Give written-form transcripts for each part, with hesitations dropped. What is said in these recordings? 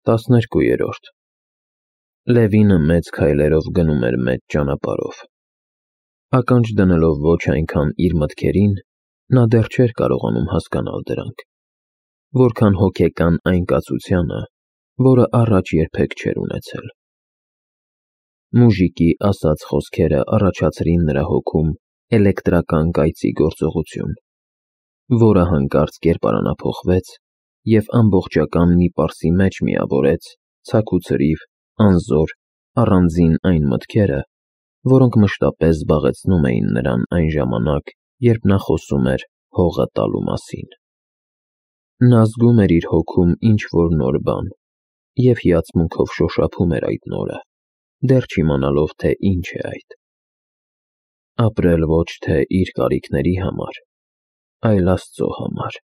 12-րդ Լևինը մեծ քայլերով գնում էր մեծ ճանապարհով։ Ականջ դնելով ոչ այնքան իր մտքերին, նա դեռ չէր կարողանում հասկանալ դրանք, որքան հոգեկան այն կացությանը, որը առաջ երբեք չէր ունեցել։ Մուժիկի ասած խոսքերը առաջացրին նրա հոգում էլեկտրական կայծի գործողություն, որը հանկարծ կերպարանափոխվեց և ամբողջական մի պարսի մեջ միավորեց ցաքուցրիվ, անզոր, առանձին այն մտքերը, որոնք մշտապես զբաղեցնում էին նրան այն ժամանակ, երբ նա խոսում էր հողը տալու մասին։ Նա զգում էր իր հոգում ինչ-որ նոր բան և հիացմունքով շոշափում էր այդ նորը, դեռ չիմանալով, թե ինչ է այդ։ Ապրել ոչ թե իր կարիքների համար, այլ Աստծո համար,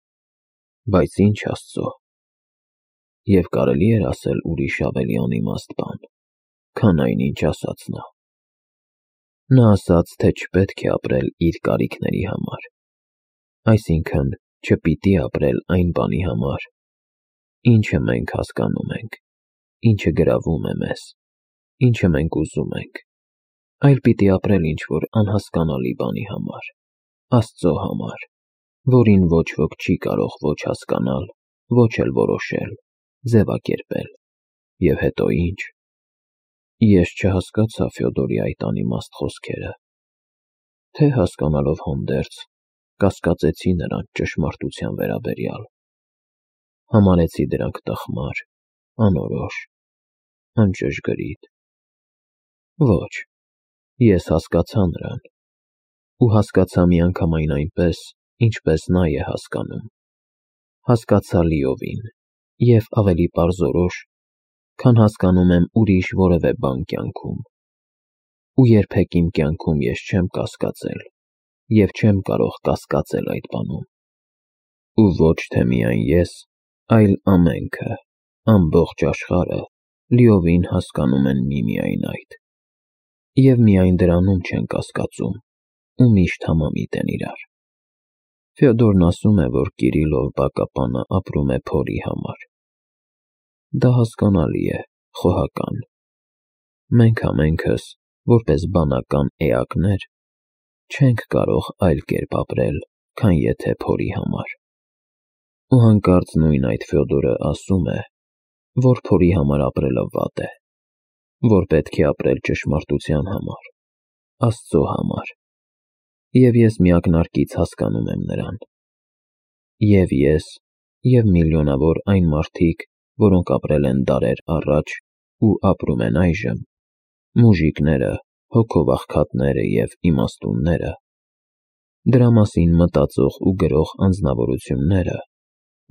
բայց ինչ Աստծո։ Եվ կարելի էր ասել ուրիշ ավելի անիմաստ բան, քան այն, ինչ ասաց նա։ Նա ասաց, թե չպետք է ապրել իր կարիքների համար, այսինքն չպիտի ապրել այն բանի համար, ինչը մենք հասկանում ենք, ինչը գրավում է մեզ, ինչը մենք ուզում ենք, այլ պիտի ապրել ինչ-որ անհասկանալի բանի համար, Աստծո համար, որին ոչ ոք չի կարող ոչ հասկանալ, ոչ էլ որոշել, ձևակերպել։ Եվ հետո ինչ։ Ես չհասկացա Ֆյոդորի այդ անիմաստ խոսքերը, թե հասկանալով հանդերձ, կասկածեցի նրանց ճշմարտության վերաբերյալ։ Համարեցի դրանք տխմար, անորոշ, անճշգրիտ։ Ոչ, ես հասկացա նրան, ու հասկացա միանգամայն այնպես, ինչպես նա է հասկանում։ Հասկացա լիովին և ավելի պարզորոշ, քան հասկանում եմ ուրիշ որևէ բան կյանքում։ Ու երբեք իմ կյանքում ես չեմ կասկածել և չեմ կարող կասկածել այդ բանում։ Ու ոչ թե միայն ես, այլ ամենքը, ամբողջ աշխարհը լիովին հասկանում են միմիայն այդ։ Եվ միայն դրանում չեն կասկածում ու միշտ համամիտ են իրար։ Ֆյոդորն ասում է, որ Կիրիլով բակապանը ապրում է փորի համար։ Դա հասկանալի է, խոհական։ Մենք ամենքս, որպես բանական էակներ, չենք կարող այլ կերպ ապրել, քան եթե փորի համար։ Ու հանկարծ նույն այդ Ֆյոդորը ասում է, որ փորի համար ապրելը վատ է, որ պետք է ապրել ճշմարտության համար, Աստծո համար։ Եվ ես միակնարկից հասկանում եմ նրան։ Եվ ես, և միլիոնավոր այն մարդիկ, որոնք ապրել են դարեր առաջ ու ապրում են այժմ, մուժիկները, հոգով աղքատները և իմաստունները, դրա մասին մտածող ու գրող անձնավորությունները,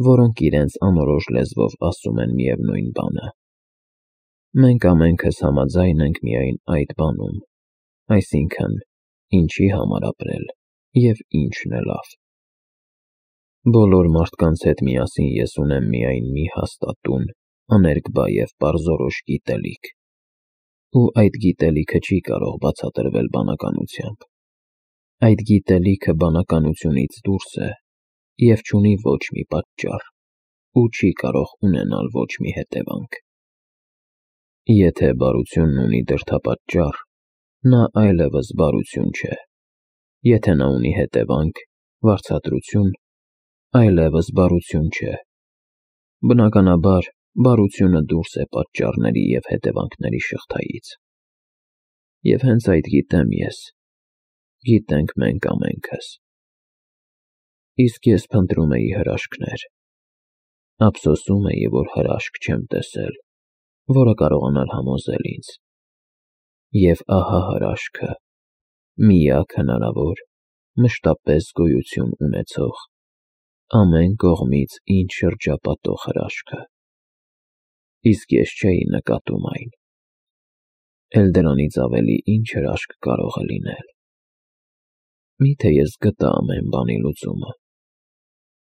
որոնք իրենց անորոշ լեզվով ասում են միևնույն բանը։ Մենք ամենքս համաձայն ենք միայն այդ բանում, այսինքն, ինչի համար ապրել և ինչն է լավ։ Բոլոր մարդկանց հետ միասին ես ունեմ միայն մի հաստատուն, աներկբա և պարզորոշ գիտելիք, ու այդ գիտելիքը չի կարող բացատրվել բանականությամբ։ Այդ գիտելիքը բանականությունից դուրս է և չունի ոչ մի պատճառ, ու չի կարող ունենալ ոչ մի հետևանք։ Եթե բարությունն ունի դրդապատճառ, նա այլևս բարություն չէ, եթե նա ունի հետևանք, վարձատրություն, այլևս բարություն չէ։ Բնականաբար, բարությունը դուրս է պատճառների և հետևանքների շղթայից։ Եվ հենց այդ գիտեմ ես, գիտենք մենք ամենքս։ Իսկ ես փնտրում էի հրաշքներ։ Ափսոսում էի, որ հրաշք չեմ տեսել, որը կարողանար համոզել ինձ։ Եվ ահա հրաշքը, միակ հնարավոր, մշտապես գոյություն ունեցող, ամեն կողմից ինձ շրջապատող հրաշքը։ Իսկ ես չէի նկատում այն։ Էլ դրանից ավելի ինչ հրաշք կարող է լինել։ Միթե ես գտա ամեն բանի լուծումը։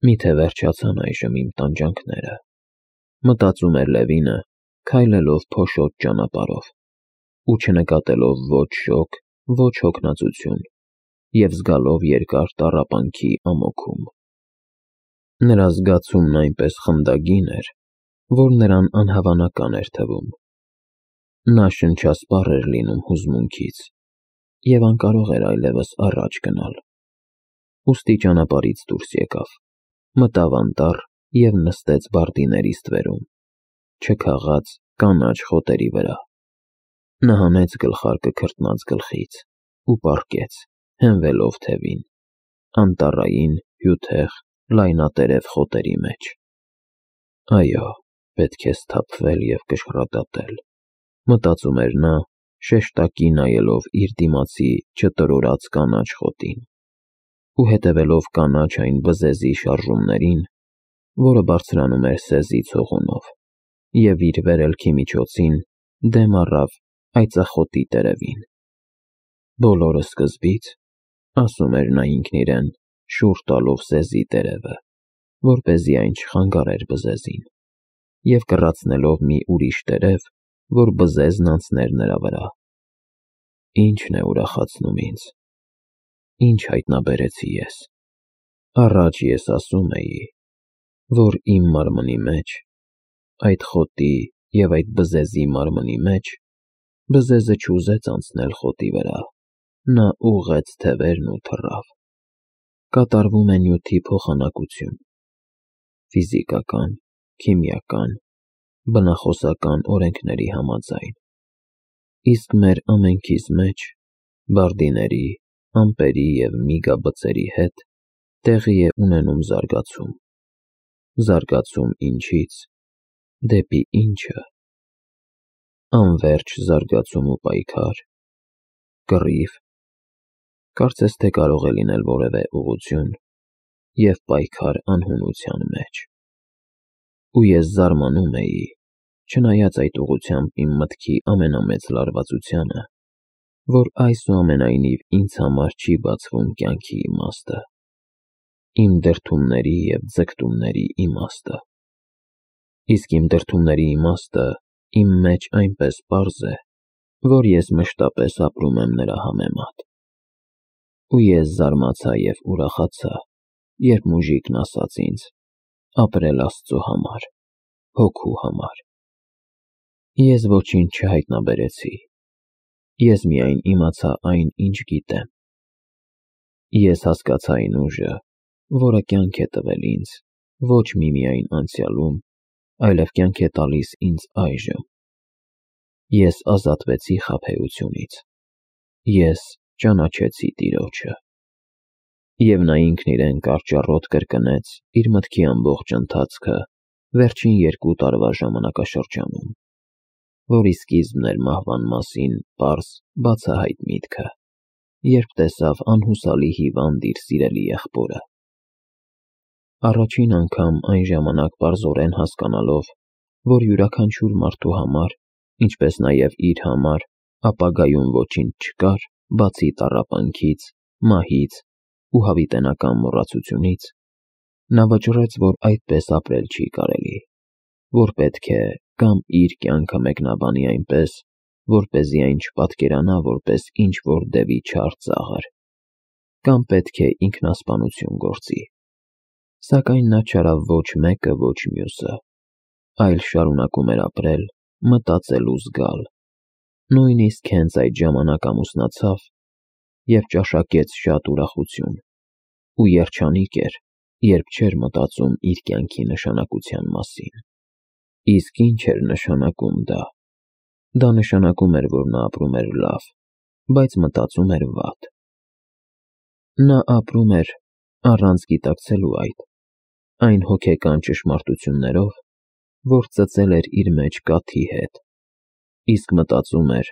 Միթե վերջացան այժմ իմ տանջանքները, մտածում էր Լևինը, քայլելով փոշոտ ճանապարհով, ու չնկատելով ոչ շոգ, ոչ հոգնածություն, և զգալով երկար տառապանքի ամոքում։ Նրա զգացումն այնպես խնդագին էր, որ նրան անհավանական էր թվում։ Նա շնչասպառ էր լինում հուզմունքից և անկարող էր այլևս առաջ գնալ։ Ուստի ճանապարհից դուրս եկավ, մտավ անտառ և նստեց բարդիների ստվերում, չքաղած կանաչ խոտերի վրա։ Նա հանեց գլխարկը քրտնած գլխից ու պառկեց, հենվելով թևին, անտառային, հյութեղ, լայնատերև խոտերի մեջ։ Այո, պետք է սթափվել և կշռադատել, մտածում էր նա, շեշտակի նայելով իր դիմացի չտրորած կանաչ խոտին ու հետևելով կանաչ այն բզեզի շարժումներին, որը բարձրանում էր սեզի ցողունով և իր վերելքի միջոցին դեմ առավ այծախոտի տերևին։ Բոլորը սկզբից, ասում էր նա ինքն իրեն, շուռ տալով սեզի տերևը, որպեսզի այն չխանգարեր բզեզին, և կռացնելով մի ուրիշ տերև, որ բզեզն անցներ նրա վրա։ Ի՞նչն է ուրախացնում ինձ, ի՞նչ հայտնաբերեցի ես։ Առաջ ես ասում էի, որ իմ մարմնի մեջ, այդ խոտի և այդ բզեզի մարմնի մեջ, բզեզը չուզեց անցնել խոտի վրա, նա ուղղեց թևերն ու թռավ։ Կատարվում է նյութի փոխանակություն, ֆիզիկական, քիմիական, բնախոսական օրենքների համաձայն, իսկ մեր ամենքիս մեջ, բարդիների, ամպերի և միգաբծերի հետ, տեղի է ունենում զարգացում։ Զարգացում ինչից, դեպի ինչը։ Անվերջ զարգացում ու պայքար, կռիվ, կարծես թե կարող է լինել որևէ ուղղություն, և պայքար անհունության մեջ։ Ու ես զարմանում էի, չնայած այդ ուղղությամբ իմ մտքի ամենամեծ լարվածությանը, որ այսուամենայնիվ ինձ համար չի բացվում կյանքի իմաստը, իմ դրդումների և ձգտումների իմաստը։ Իսկ իմ դրդումների իմաստը իմ մեջ այնպես պարզ է, որ ես մշտապես ապրում եմ նրա համեմատ։ Ու ես զարմացա և ուրախացա, երբ մուժիկն ասաց ինձ. ապրել Աստծո համար, հոգու համար։ Ես ոչինչ չհայտնաբերեցի, ես միայն իմացա այն, ինչ գիտեմ։ Ես հասկացա այն ուժը, որը կյանք է տվել ինձ ոչ միմիայն անցյալում, այլև կյանք է տալիս ինձ այժմ։ Ես ազատվեցի խաբեությունից, ես ճանաչեցի Տիրոջը։ Եվ նա ինքն իրեն կարճառոտ կրկնեց իր մտքի ամբողջ ընթացքը վերջին 2 տարվա ժամանակաշրջանում, որի սկիզբն էր մահվան մասին պարզ, բացահայտ միտքը, երբ տեսավ անհուսալի հիվանդ իր սիրելի եղբորը։ Առաջին անգամ այն ժամանակ պարզորեն հասկանալով, որ յուրաքանչյուր մարդու համար, ինչպես նաև իր համար, ապագայում ոչինչ չկար, բացի տառապանքից, մահից ու հավիտենական մոռացությունից, նա վճռեց, որ այդպես ապրել չի կարելի, որ պետք է կամ իր կյանքը մեկնաբանի այնպես, որպեսզի այն չպատկերանա որպես ինչ-որ դևի չար ծաղր, կամ պետք է ինքնասպանություն գործի։ Սակայն նա չարավ ոչ մեկը, ոչ մյուսը, այլ շարունակում էր ապրել, մտածել ու զգալ, նույնիսկ հենց այդ ժամանակ ամուսնացավ և ճաշակեց շատ ուրախություն, ու երջանիկ էր, երբ չէր մտածում իր կյանքի նշանակության մասին։ Իսկ ինչ էր նշանակում դա։ Դա նշանակում էր, որ նա ապրում էր լավ, բայց մտածում էր վատ։ Նա ապրում էր առանց գիտակցելու այն հոգեկան ճշմարտություններով, որ ծծել էր իր մեջ կաթի հետ, իսկ մտածում էր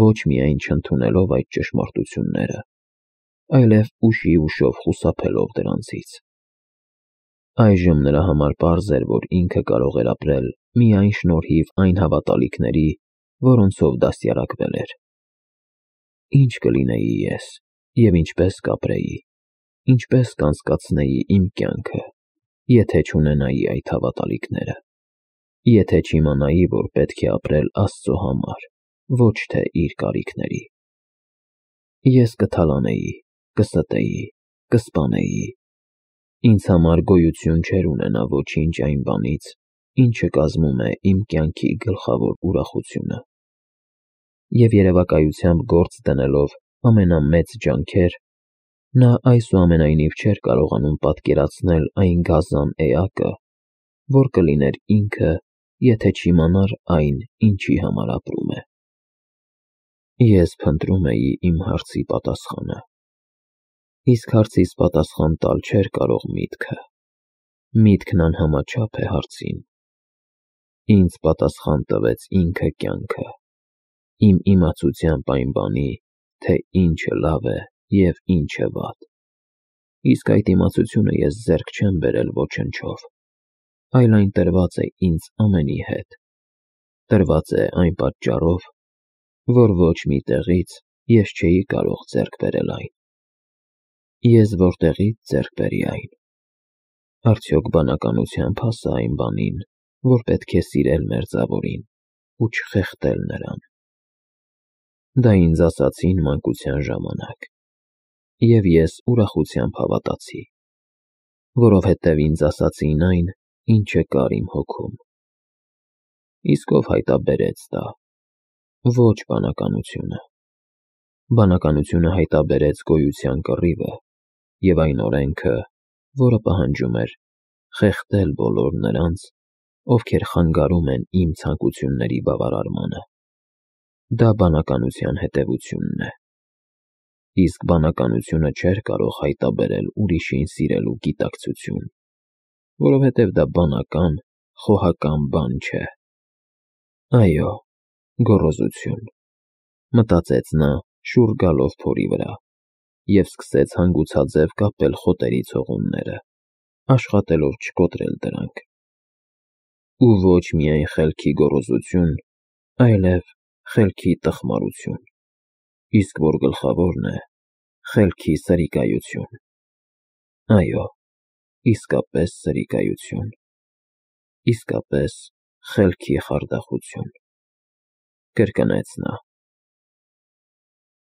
ոչ միայն չընդունելով այդ ճշմարտությունները, այլև ուշիուշով խուսափելով դրանցից։ Այժմ նրա համար պարզ էր, որ ինքը կարող էր ապրել միայն շնորհիվ այն հավատալիքների, որոնցով դաստիարակվել էր։ Ինչ կլինեի ես և ինչպես կապրեի, ինչպես կանցկացնեի իմ կյանքը, եթե չունենայի այդ հավատալիքները, եթե չիմանայի, որ պետք է ապրել Աստծո համար, ոչ թե իր կարիքների։ Ես կթալանեի, կստեի, կսպանեի։ Ինձ համար գոյություն չէր ունենա ոչինչ այն բանից, ինչը կազմում է իմ կյանքի գլխավոր ուրախությունը։ Եվ երևակայությամբ գործ դնելով ամենամեծ ջանքեր, նա այսուամենայնիվ չէր կարողանում պատկերացնել այն գազան էակը, որ կլիներ ինքը, եթե չիմանար այն, ինչի համար ապրում է։ Ես փնտրում էի իմ հարցի պատասխանը, իսկ հարցիս պատասխան տալ չէր կարող միտքը։ Միտքն անհամաչափ է հարցին։ Ինձ պատասխան տվեց ինքը կյանքը, իմ իմացությամբ այն բանի, թե ինչը լավ է և ինչը վատ։ Իսկ այդ իմացությունը ես ձեռք չեմ բերել ոչնչով, այլ այն տրված է ինձ ամենի հետ, տրված է այն պատճառով, որ ոչ մի տեղից ես չէի կարող ձեռք բերել այն։ Ես որտեղի՞ց ձեռք բերի այն։ Արդյոք բանականությամբ հասա այն բանին, որ պետք է սիրել մերձավորին ու չխեղդել նրան։ Դա ինձ ասացին մանկության ժամանակ, և ես ուրախությամբ հավատացի, որովհետև ինձ ասացին այն, ինչը կար իմ հոգում։ Իսկ ով հայտարարեց դա։ Ոչ բանականությունը։ Բանականությունը հայտարարեց գոյության կռիվը և այն օրենքը, որը պահանջում էր խեղդել բոլոր նրանց, ովքեր խանգարում են իմ ցանկությունների բավարարմանը։ Դա բանականության հետևությունն է։ Իսկ բանականությունը չէր կարող հայտարարել ուրիշին սիրելու գիտակցություն, որովհետև դա բանական, խոհական բան չէ։ Այո, գոռոզություն, մտածեց նա շուռ գալով փորի վրա, և սկսեց հանգուցաձև կապել խոտերի ցողունները, աշխատելով չկոտրել դրանք։ Ու ոչ միայն խելքի գոռոզություն, այլև խելքի տխմարություն, իսկ որ գլխավորն է, խելքի սրիկայություն։ Այո, իսկապես սրիկայություն, իսկապես խելքի խարդախություն, կրկնեց նա։